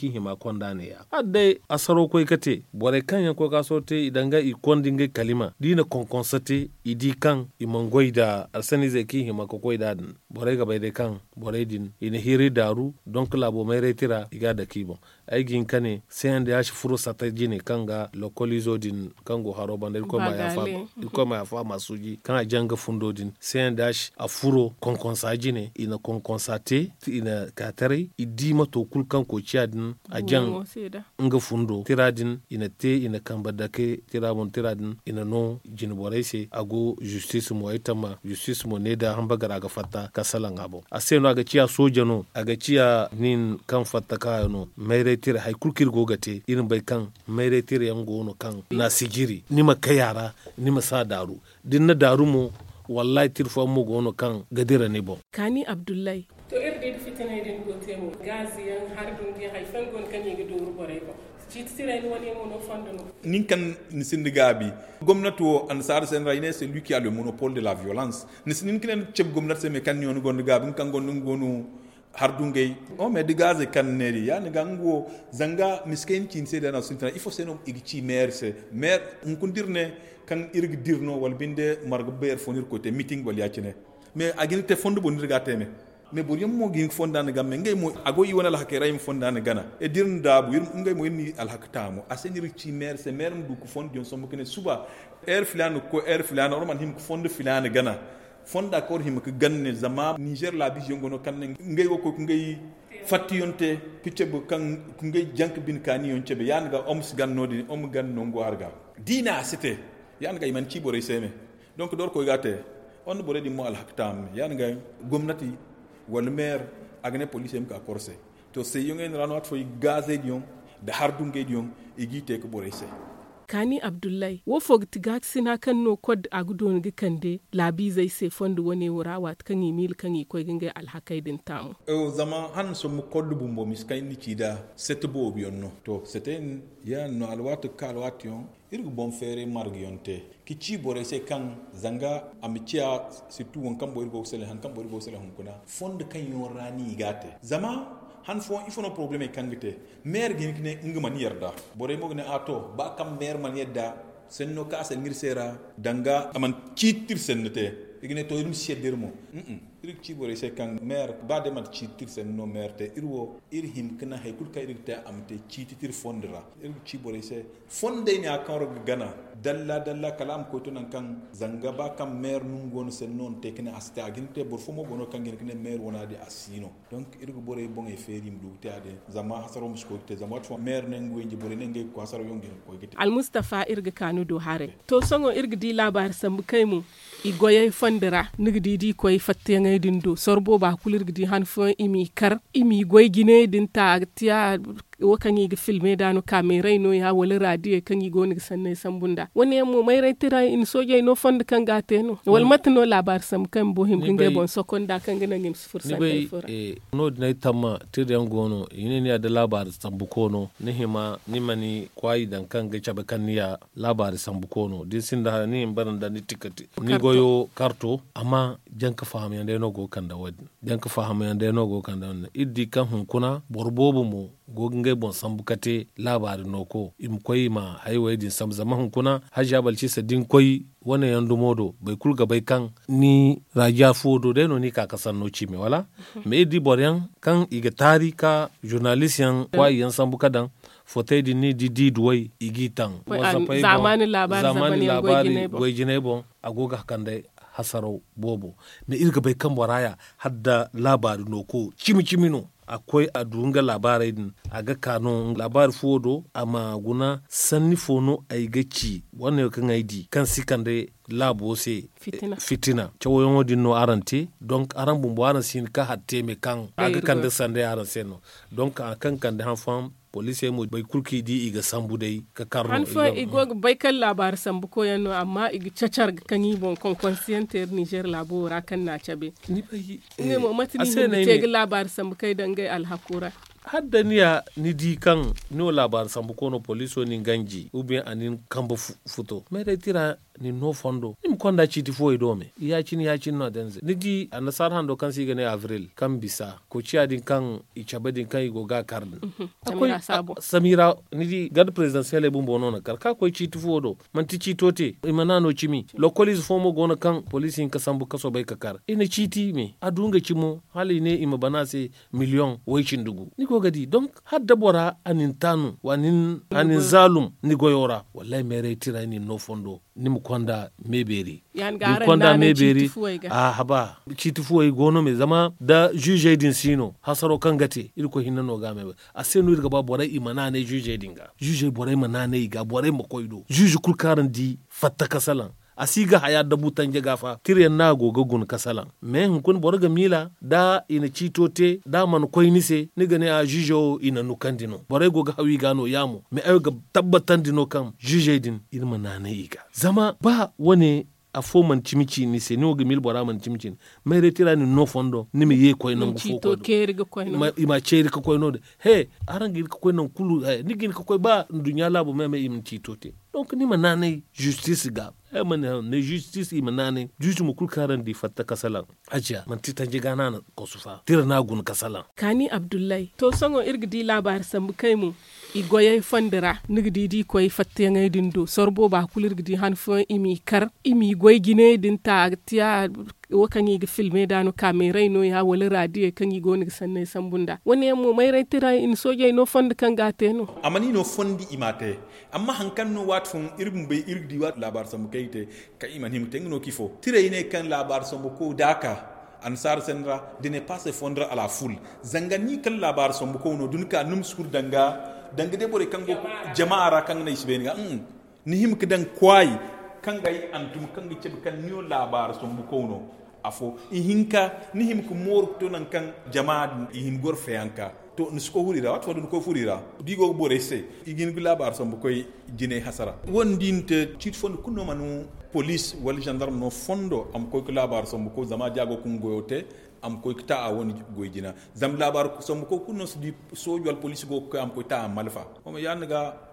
hima konda neeya hala day asaro koy ga te borey kaŋ yaŋ koy ga asaro te i danga i konda ngey kalima da i na konkonsa te i di kaŋ i mana goy nda arsaniizey kaŋ i hima ga koy nd'a din. Borey ga bay day kaŋ borey din i na hiiray daaru donk laabo mayray tira i ga a dake i boŋ. Ay ga hin ka ne se yaŋ da ya si furo sata jine kaŋ ga lokoliizo din kaŋ go haro banda irkoy ma yaafa a ma suuji kaŋ a jaŋ ga fundo din se yaŋ da ya si a furo konkonsa jine i na konkonsa te i na ka taray i di mato kulu kaŋ koociya din a jaŋ nga fundo tira din i na te i na kambe dake tira boŋ tira din i na no jine borey se a go zistis mo ay tamma zistis mo ne da hambagara ga fatta ka salaŋ a boŋ a se no a ga ciya sooja no a ga ciya nin kaŋ fatta ka no mayray tira hari kulu kaŋ iri go ga te iri ma bay kaŋ mayray tira yaŋ go no kaŋ ni a si jiri ni ma kay a ra ni ma si a daaru da ni na daaru mo. Wallahi tira fooyaŋ mo go no kaŋ ga dira ni boŋ. Kaani abdullahi. To iri di nda fitinay din go te mo gaaziyaŋ hari dundiyaŋ hari fooyaŋ go no kaŋ i ga dooru borey boŋ. Ciiti tiray ni wane mo no fondo no. Nin kaŋ ni sinda gaabi gomnati wo annasaara se ni ra i ne se lui ki a le monopol de la violence ni si nin kaŋ ne ni ga cabe gomnati se me kaŋ ni wo ni gonda gaabi nga kaŋ gonda nga go no. Hari dungay o me da gaazey kaŋ ni ne di ya- din ga nga wo zanga miskay ni ci ni se da no sintina ifo se no i ga ci meeri se. Meeri hunkuna da iri ne kaŋ iri ga dira no wala binde marga beeri fo no iri koy te miting wala ya- cine. Mais a ga hin ga te fondo boŋ no iri ga a te me. Mais boro yaŋ mo ga hin ga fonda ni game me ngey mo a go i wane alhakey ra i ma fonda ni gana. E da iri na daabu ngey mo iri na i alhaka taamu a se no iri ga ci meeri se meeri ma du ga fondo yaŋ sombu ga ne suba heeri filaana ga koy heeri filaana wala mana hima ga fondo filaana gana. Fonda kaŋ wara hima ga gana ne zama ninzeer laabiize yaŋ go no kaŋ ne ngey wo ga koy ga ngey fatta yaŋ te ga cabe kaŋ ga ngey janka bine kaani yaŋ cabe ya- din ga omo si gana no- din omo gana no nga go hari ga. Da i ne a si te ya- din ga i mana ci borey se me. Donk da wara koy ga a te. Wala borey din mo alhaka taamu me ya- din ga gomnati wala meer a ga ne poliisey ma ka koro se. To sayyaŋey no ra no waati fooyaŋ i ga gaazey diyaŋ nda hari dungey diyaŋ i g'i te ga borey se. Kaani abdullahi wo fo ga ti gaakasina kaŋ no kod a ga dooni ga kande laabiizey se fondo wane wo ra waati kaŋ i miila kaŋ i koy ga ngey alhakey din taamu. Zama hala ni sombu kod bumbo misa kaŋ ni ci nd'a sete boobo yaŋ no to sete yaŋ no alwaati ga ka alwaati yaŋ. Iri ga boŋ feeray marga yaŋ te ga ci borey se kaŋ zanga a ma ciya sirtu waŋ kaŋ boro iri go ga salaŋ hunkuna fondo kaŋ yaŋ ra no i ga a te zama han fooyaŋ ifo no poroblemey kaŋ ga te. Meeri ga hin ga ne nga mana yarda. Borey mo ga ne a to ba kaŋ meeri mana yarda sanni no kaŋ a sanni iri se ra danga a mana ciiti iri sanni te. Iri ga ne to iri ma si yarda iri mo. Iri ga ci borey se kaŋ meeri ba day manti ciiti iri sanni no meeri te iri wo iri hima ga naŋ hari kulu kaŋ iri ga te a ma te ciiti iri fondo ra. Iri ga ci borey se fondey ne ya kaŋ wara ga gana dalla dalla kala a ma koy to nangu kaŋ zanga ba kaŋ meer no nga go no sanni no ni te ga ne a si te a ga hin ga te boro fo mo go no kaŋ ga hin ga ne meer wana din a si no. Donk iri ga borey boŋey feeri i ma du ga te a din zama hasaro ma si koy ga te zama waati fo meer ne nga wayje borey ne ngey ga koy hasaro yaŋ ga hin ga koy ga te. Almustafa iri ga ka ni do haray to sohõ iri ga di laabaari sambu kay mo i goyey fondo ra ni ga di da i koy fattayaŋey din do soro booba kulu iri ga di han fooyaŋ i m'i kar i m'i goy jinayey din ta a ga tiya wo kaŋ i ga filme nd'a no kaameerey no- ya wala raadiyey kaŋ i go no ga sanney sambu nd'a wane yaŋ mo mayray tira i na soojey no fondo kaŋ ga a te no wala mate no laabaari sambu kaŋ bumbo hima ga ngey boŋ soko nd'a kaŋ ga naŋ i ma si furo sanney fo ra? No- din ay tamma tira yaŋ go no i ne ni ya da laabaari sambu koono ni hima ni ma ni kwaayi daŋ kaŋ ga cabe kaŋ ni ya laabaari sambu koono da ni sinda hara ni hima bara nda ni tikati ni goyo karto amma jaŋ ka faham yaŋ day no go ga kande wo- din jaŋ ka faham yaŋ day no go ga kande wo- din iri di kaŋ hunkuna boro boobo mo go ga ngey boŋ sambu ka te laabaari nooko i ma koy i ma hayey din sambu zama hunkuna haziya balcisa da ni koy wane yaŋ dumo do boro kulu ga bay kaŋ ni raajiya fuwo do day no ni ka ga sanno ciime wala? Mais iri di boro yaŋ kaŋ i ga taari ka zurnalist yaŋ kwaayi yaŋ sambu ka daŋ fotey din ni di diiduwey i g'i taŋ. Zaamaani laabaari goy jinay boŋ a go ga kande hasaraw boobo. Mais iri ga bay kaŋ bora ya hala nda laabaari nooko cimi cimi no a ga koy a du nga laabaarey din a ga ka no laabaari fuwo do a ma guna sanni fo no ay ga ci wane kaŋ ay di kaŋ si kande laabo se fitina cawoyaŋo din no araŋ te. Donk araŋ bumbo araŋ si hin ka hari te me kaŋ a ga kande sanday araŋ se no. Donk hari kaŋ kande han fooyaŋ poliisey mo boro kulu kaŋ i di i ga sambu day ka kar no han fooyaŋ i go ga bay kaŋ laabaari sambu koyyaŋ no amma i ga cacar ga kaŋ i boŋ konkonsiyaŋ te iri ninzeer laabo wo ra kaŋ n'a cabe. Ngey mo mate no i hima ga te ga laabaari sambu kaŋ ay daŋ ngey alhako ra? Hala da ni ya ni di kaŋ ni wo laabaari sambu koono poliiso na ni ganji, ou bien a na ni kambe futo meeray tira, ni no fondo ni ma konda ciiti fuwey do me ya- cine ya- cine no a danze ni di annasaara hando kaŋ se i ga ne avril kaŋ bisa koociya din kaŋ i cabe din kaŋ i go ga a kar din. Samira ni di garde prezidansiyeley bumbo no na kar ka koy ciiti fuwo do. Manti ciito te i mana no cimi. Lokoliize fo mo go no kaŋ poliisi hin ka sambu ka soobay ka kar i na ciiti me a du nga cimo hala i ne i ma bana se miliyoŋ way cindi gu ni go ga di donk hala da bora a na ni taanu wa a na ni zaalum ni goyo ra. Wallaahi meeray tira ni no fondo ni ma konda me beeri. Ni ma konda me beeri. A haba ciiti fuwey go no me zama da ziizey din si no hasaro kaŋ ga te irkoy hinne no ga a me bay. A se no iri ga ba borey i ma naanay ziizey din ga ziizey borey ma naanay i ga borey ma koy do ziizi kulu kaŋ araŋ di fatta ka salaŋ. A si ga haya dabu tanje ga fa tira yaŋ no a go ga guna ka salaŋ. Mais hunkuna boro ga miila da i na ciito te da a mana koy ni se ni ga ne a ziizo wo i na nukandi no borey go ga haw i ga no ya mo mais ay wo ga tabbatandi no kaŋ ziizey din iri ma naanay i ga. Zama ba wane afo mana cimi ci ni se ni wo ga miila bora mana cimi ci ni mayray tira ni no fondo ni ma ye koy nangu fo koy do. I ma ceeri ka koy no- din he araŋ ga hin ka koy nangu kulu ni ga hin ka koy ba nduɲɲa laabo me me i mana ciito te. Donk ni ma naanay zistis ga ay ma ne zistis i ma naanay zistis ma kulu kaŋ araŋ di fatta ka salaŋ. Ajiya manti tanji ga no a na kosu fa tira no a guna ka salaŋ. Kaani abdullahi to sohõ iri ga di laabaari sambu kay mo i goyey fondi ra ni ga di da i koy fattayaŋey din do soro booba kulu iri ga di han fooyaŋ i m'i kar i m'i goy jinayey din ta a ga tiya. Wo kaŋ i ga filme nd'a no kaameeray nooya wala raadiyey kaŋ i go no ga sanney sambu nd'a wane yaŋ mo mayray tira i na soojey no fondi kaŋ ga a te no. A mana i no fondi i m'a te. Amma hari kaŋ no waati fooyaŋ iri bumbey iri ga di waati laabaari sambu kaŋ i te kaŋ i mana hima ga te nga no kaŋ ifo tirey ne kaŋ laabaari sambu koy da a ka annasaara sanni ra da ne paase fondi ra a la ful. Zanga ni kaŋ laabaari sambu koy no da ni ka ni ma si furo danga danga day borey kaŋ go jama ra kaŋ ga naŋ i si beene ga ni hima ga daŋ kwaay kaŋ ga ay hantum kaŋ ga cabe kaŋ ni wo laabaari sambu koy no. Afo ihinka ni hima ga mooru ga to nangu kaŋ jama din i hin goro fayanka. To ni si koy furo i ra waati fo da ni koy furo i ra da i go ga borey se i ga hin ga laabaari sambu koy jinay hasara. Wo- din da i na te ciiti fondo kulu no mana poliis wala zandarma no fondo a ma koy ga laabaari sambu koy zama da a go ga nga goyo te a ma koy ga ta a wane goy jina. Zama laabaari sambu koy kulu no si di sooji wala poliisi go ga koy a ma koy ta a malfa.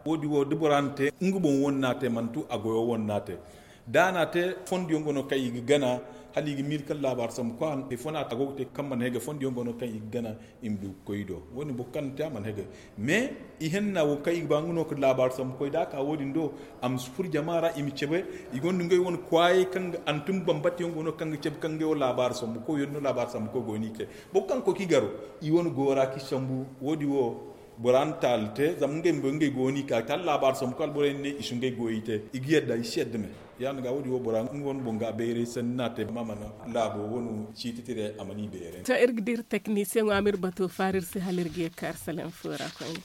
Wo- din wo da bora na te nga boŋ wane no a te manti a goyo wane no a te. Da a na a te fondo yaŋ go no kaŋ i ga gana hala i ga miila kaŋ laabaari sambu koy hari fo no a go ga te kaŋ mana hege fondo yaŋ go no kaŋ i ga gana i ma du ga koy i do. Wo- din boro kaŋ na te a mana hege. Mais i henna wo kaŋ i ga ba nga no ga laabaari sambu koy da a ka wo- din do a ma si furo jama ra i ma cabe. I gonda ngey wane kwaayey kaŋ ga hantum bambata yaŋ go no kaŋ ga cabe kaŋ ngey wo laabaari sambu koy yaŋ no laabaari sambu koy go no i te. Boro kaŋ ga koy ga i garo i wane goyo ra ga i sambu. Wo- din wo bora na taali te zama ngey bumbo ngey go no i ka ga te hala laabaari sambu koy hala borey na ne i si ngey goyey te i ga yadda i si yadda me. Ya- din ga wo- din wo bora nga wane boŋ ga bayray sanni no a te ma mana laabo wane ciiti tire a mana i bayray. To iri ga dira teknisiyeŋo a ma iri bato faara iri se hala iri ga ye ga ka iri salaŋ fo ra koyne.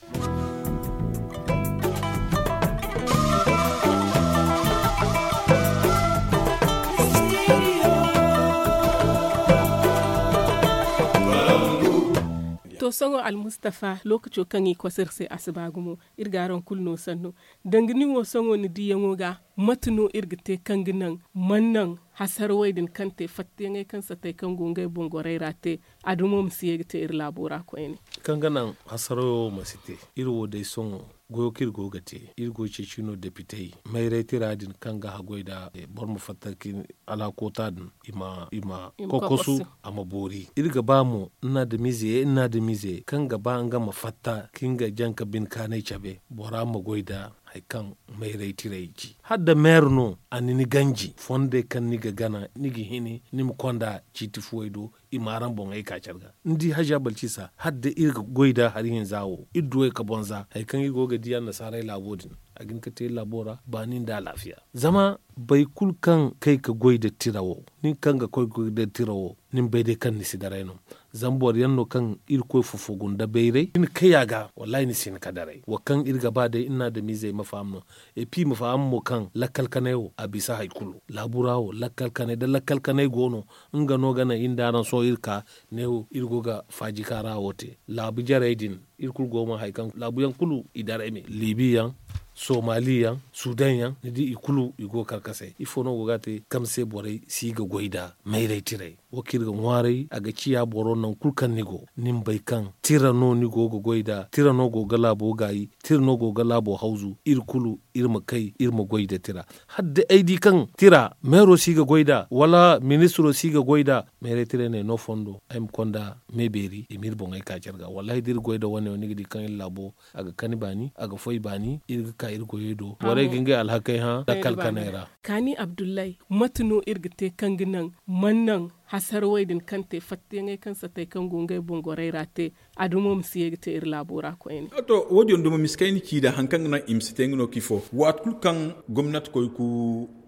To sohõ almustafa lookaco kaŋ i koso iri se a si ba gumo. Iri ga araŋ kulu no sanno danga nin wo sohõ ni diyaŋo ga mate no iri ga te kaŋ ga naŋ mana naŋ hasarawey din kaŋ te fattiyaŋey kaŋ satey kaŋ go ngey boŋ gorey ra te. A dumo ma si ye ga te iri laabo ra koyne. Kaŋ ga naŋ hasarawey wo ma si te iri wo day sohõ goyo kaŋ iri go ga te iri go ga ceeci no depitey mayray tira din kaŋ ga haggoy nda boro ma fatta ka alhakoota din i ma kokosu a ma boori. Iri ga ba mo nna adamize nna adamize kaŋ ga ba nga ma fatta ka nga janka bine kaanay cabe bora ma goy nda hari kaŋ mayray tirey ci hala da meer no a na ni ganji fondey kaŋ ni ga gana ni ga hini ni ma konda ciiti fuwey do. I ma araŋ boŋey ka care ga ni di haza balcisa hala da iri ga goy nda hari hinza wo iri duwey ka bonza hari kaŋ iri go ga di annasaarey laabo din a ga hin ka te iri laabo ra baani nda alaafiya. Zama boro kulu kaŋ kay ga goy nda tira wo nin kaŋ ga koy ga goy nda tira wo ni ma bay day kaŋ ni si daray no. Zama boro yaŋ no kaŋ irkoy fofogu nda bayray da ni kay a ga wallaahi ni si hin ka daray wo kaŋ iri ga ba day iri na adamizey ma faham no. Et puis i ma faham mo kaŋ lakkal kanay wo a bisa hari kulu laabu ra wo lakkal kanay da lakkal kanay go no. Nga no ga naŋ iri nda araŋ sohõ iri ka ne wo iri go ga faaji kaara wo te laabu jarey din. Iri kulu go ma hari kaŋ laabu yaŋ kulu i daray me liibi yaŋ Somali yaŋ, sudan yaŋ, ni di i kulu i go ga karkasay ifo no go ga a te? Kaŋ se borey si ga goy nda mayray tiray. Wo kaŋ iri ga ŋwaaray a ga ciya boro nangu kulu kaŋ ni go, ni ma bay kaŋ tira no ni go ga goy nda tira no go ga laabo gaayi, tira no go ga laabo hawzu. Iri kulu iri ma kay iri ma goy nda tira. Hala day ay di kaŋ tira meero si ga goy nda wala ministiro si ga goy nda, meeray tiray no ay no fondo ay ma konda me beeri i ma iri boŋey ka care ga wallaahi da iri goy nda wane wo ni ga di kaŋ iri laabo a ga kani baani a ga foy baani iri ga ka iri goyey do borey ga ngey alhakey hã lakkal kanay ra. Kaani abdullahi, mate no iri ga te kaŋ ga naŋ man naŋ hasarawey din kaŋ te fattiyaŋey kaŋ satey kaŋ go ngey bongorey ra te? A dumo ma si ye ga te iri laabo ra koyne. To wo- din dumo miskayni ci da hari kaŋ ga naŋ i ma si te nga no kaŋ ifo waati kulu kaŋ gomnati koy ga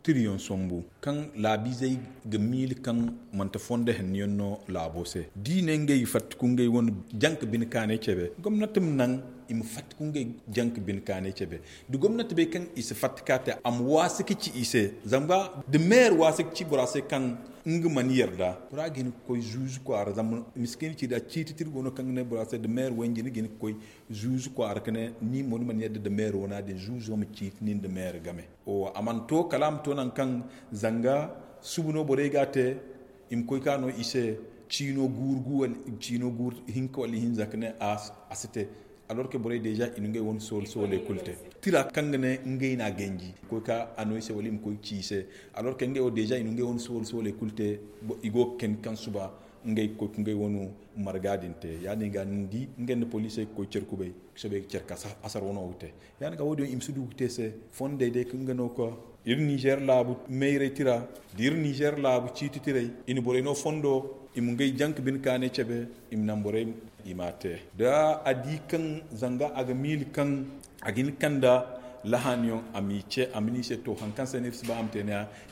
tiriyaŋ sambu kaŋ laabiizey ga miila kaŋ manti fondo henna yaŋ no laabo se da i ne ngey ga fatta ka ngey wane janka bine kaanay cabe gomnati ma naŋ i ma fatta ka ngey janka bine kaanay cabe. Da gomnati bay kaŋ i si fatta ka te a ma waasi ka ci i se zama da meere waasi ka ci bora se kaŋ nga mana yarda bora ga hin ga koy zuuzu kwaara zama miskiina ci da ciiti tira go no kaŋ ga ne bora se da meere wanji ni ga hin ga koy zuuzu kwaara ka ne ni mo ni mana yarda nda meere wana din zuuzo ma ciiti nin nda meere game. A mana to kala a ma to nangu kaŋ zanga suba no borey ga a te i ma koy ka no i se ciino guuru hinka wala ihinza ka ne a si te. Alorke borey deeza i na ngey wane soole sooley kulu te tira kaŋ ga ne ngey no a ganji koy ka a no i se wala i ma koy ga ci i se. Alorke ngey wo deeza i na ngey wane soole sooley kulu te. I go ga kani kaŋ suba ngey ga koy ga ngey wane marga din te ya- din ga ni di ngey nda poliisey ga koy care kubay ga soobay ga care ka asar wano ga te. Ya- din ga wo- din i ma si du ga te se fondey day kaŋ ga no ga iri ninzeer laabu mayray tira da iri ninzeer laabu ciiti tiray i na borey no fondo i ma ngey janka bine kaanay cabe i ma naŋ borey i m'a te da a di kaŋ zanga a ga miila kaŋ a ga hin ga kande lahaaniyaŋ a m'i ce a ma ne i se to hari kaŋ se no iri si ba a ma te ni-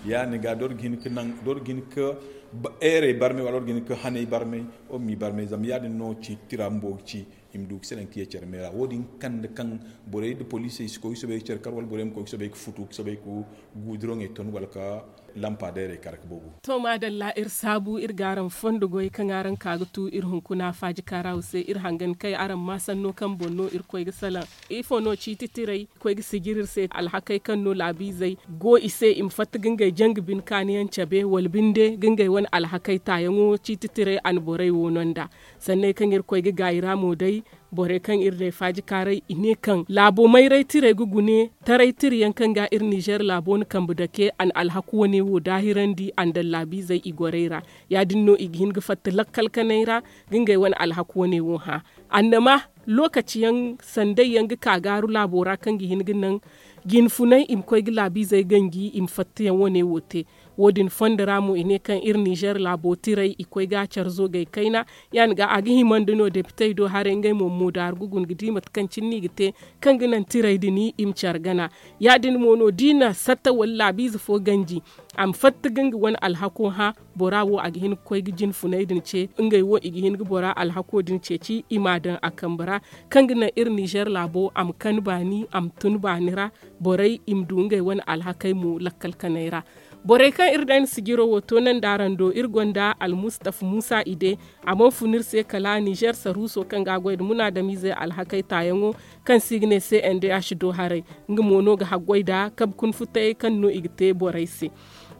ya- din ga da iri ga hin ga naŋ da iri ga hin ga eerey barmay wala iri ga hin ga haney barmay iri m'i barmay zama ya- din no ciiti tira bumbo ga ci i ma du ga salaŋ ka ye care me ra wo- din ga kande kaŋ borey nda poliisey si koy ga soobay ga care kar wala borey ma koy ga soobay ga futu ga soobay ga guuduraŋey ton wala ka lampa deerey kar ga bogu. To maadalla iri saabu iri ga araŋ fondo goy kaŋ araŋ ka ga tu iri hunkuna faaji kaarawu se iri hangan kay araŋ ma sanno kaŋ boŋ no iri koy ga salaŋ ifo no ciiti tiray koy ga sijir iri se alhakey kaŋ no laabiizey go i se i ma fatta ga ngey jangu bine kaani yaŋ cabe wala binde ga ngey wane alhakey taayaŋo ciiti tiray a na borey wo no nd'a sanney kaŋ iri koy ga gaayi ra mo day borey kaŋ iri day faaji kaaray i ne kaŋ laabo mayray tiray ga gune taray tira yaŋ kaŋ ga iri ninzeer laabo na kambe dake a na alhaku wane wo daahirandi a na daŋ laabiizey i gorey ra. Ya- din no i ga hin ga fatta lakkal kanay ra ga ngey wane alhaku wane wo hã annama lookaci yaŋ sanday yaŋ ga ka gaaru laabo ra kaŋ ga hin ga naŋ jinfunay i ma koy ga laabiizey ganji i ma fatta yaŋ wane wo te. Wo- din fondo ra mo i ne kaŋ iri ninzeer laabo tiray i koy ga care zoogay kayna ya- din ga a ga himandi no depitey do haray ngey mo moodaaru ga guna ga di mate kaŋ cine no i ga te kaŋ ga naŋ tiray din i ma care gana. Ya- din mo no da i na satta wala laabiize fo ganji a ma fatta ga nga wane alhako hã bora wo a ga hin ga koy ga jinfunay din ce ngey wo i ga hin ga bora alhako din ceeci i m'a daŋ a kambe ra kaŋ ga naŋ iri ninzeer laabo a ma kan baani a ma tun baani ra borey i ma du ngey wane alhakey mo lakkal kanay ra. Borey kaŋ iri day na sijiro wo to naŋ da araŋ do iri gonda almustafa muusa ide a mana fun iri se kala ninzeer saruuso kaŋ ga a goy nda munaadamiizey alhakey taayaŋo kaŋ se i ga ne cndh do haray nga mo no ga haggoy nda kabe kuna futayey kaŋ no i ga te borey se.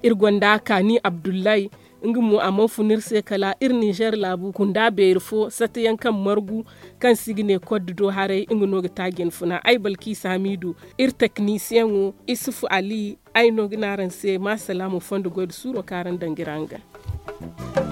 Iri gonda kaani abdullahi nga mo a mana fun iri se kala iri ninzeer laabu kunda beeri fo satayaŋ kaŋ margu kaŋ se i ga ne koddo do haray nga no ga te a jinfuna ay balkiisa hamiidu iri teknisiyeŋo isufu ali. Ay no ga ne araŋ se ma salaamo fondo goy nda suuro kaŋ araŋ daŋ ga iri hangan.